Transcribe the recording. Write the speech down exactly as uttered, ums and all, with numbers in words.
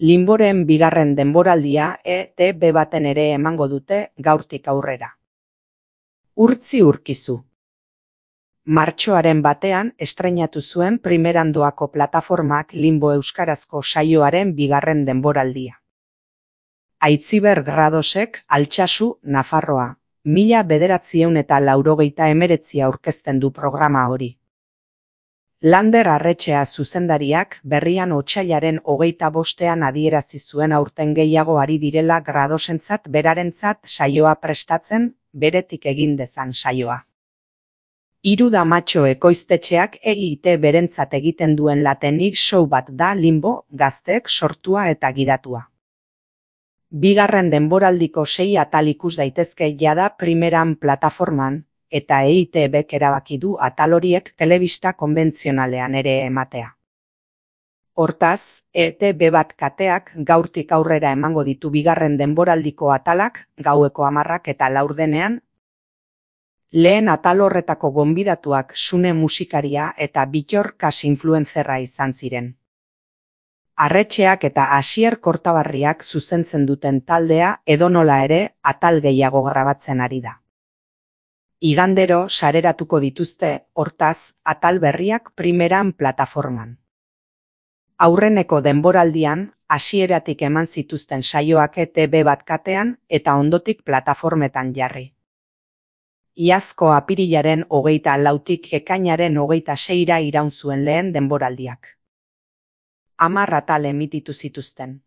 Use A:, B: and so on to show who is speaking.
A: Linboren bigarren denboraldia E T B baten ere emango dute gaurtik aurrera. Urtzi urkizu. Martxoaren batean estreinatu zuen Primerandoako plataformak Limbo euskarazko saioaren bigarren denboraldia. Aitziber Gradosek Altsasu, Nafarroa, mila bederatziehun eta laurogeita hemeretzi aurkezten du programa hori. Lander Arretxea zuzendariak berrian otsailaren hogeita bostean adierazi zuen aurten gehiago ari direla Gradosentzat berarentzat saioa prestatzen, beretik egin dezan saioa. Hiru Damatxo ekoiztetxeak E I T berentzat egiten duen latenik show bat da Limbo, gazteek sortua eta gidatua. Bigarren denboraldiko sei atal ikus daitezke jada Primeran plataforman, eta E I T Bek erabaki du atal horiek telebista konbentzionalean ere ematea. Hortaz, E T B bat kateak gaurtik aurrera emango ditu bigarren denboraldiko atalak, gaueko hamarrak eta laurdenean. Lehen atal horretako gonbidatuak Sune musikaria eta Bittor Kas influenzerra izan ziren. Arretxeak eta Asier Kortabarriak zuzentzen duten taldea edonola ere atal gehiago grabatzen ari da. Igandero sareratuko dituzte, hortaz, atal berriak Primeran plataforman. Aurreneko denboraldian, hasieratik eman zituzten saioak E T B bat katean eta ondotik plataformetan jarri. Iazko apirilaren hogeita lautik ekainaren hogeita seira iraun zuen lehen denboraldiak. Hamar atal emititu zituzten.